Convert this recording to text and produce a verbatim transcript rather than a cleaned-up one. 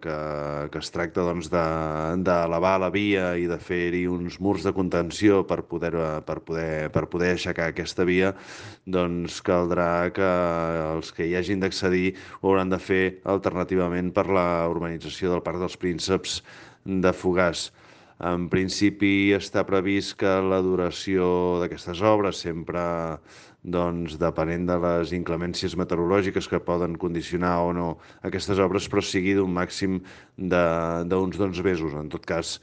que, que es tracta doncs, de- d'elevar la via i de fer-hi uns murs de contenció per poder, per poder, per poder aixecar aquesta via, doncs caldrà que els que hi hagin d'accedir ho hauran de fer alternativament per la urbanització del Parc dels Prínceps de Fogars. En principi està previst que la duració d'aquestes obres, sempre doncs, depenent de les inclemències meteorològiques que poden condicionar o no aquestes obres, però sigui d'un màxim de- d'uns dotze mesos. En tot cas,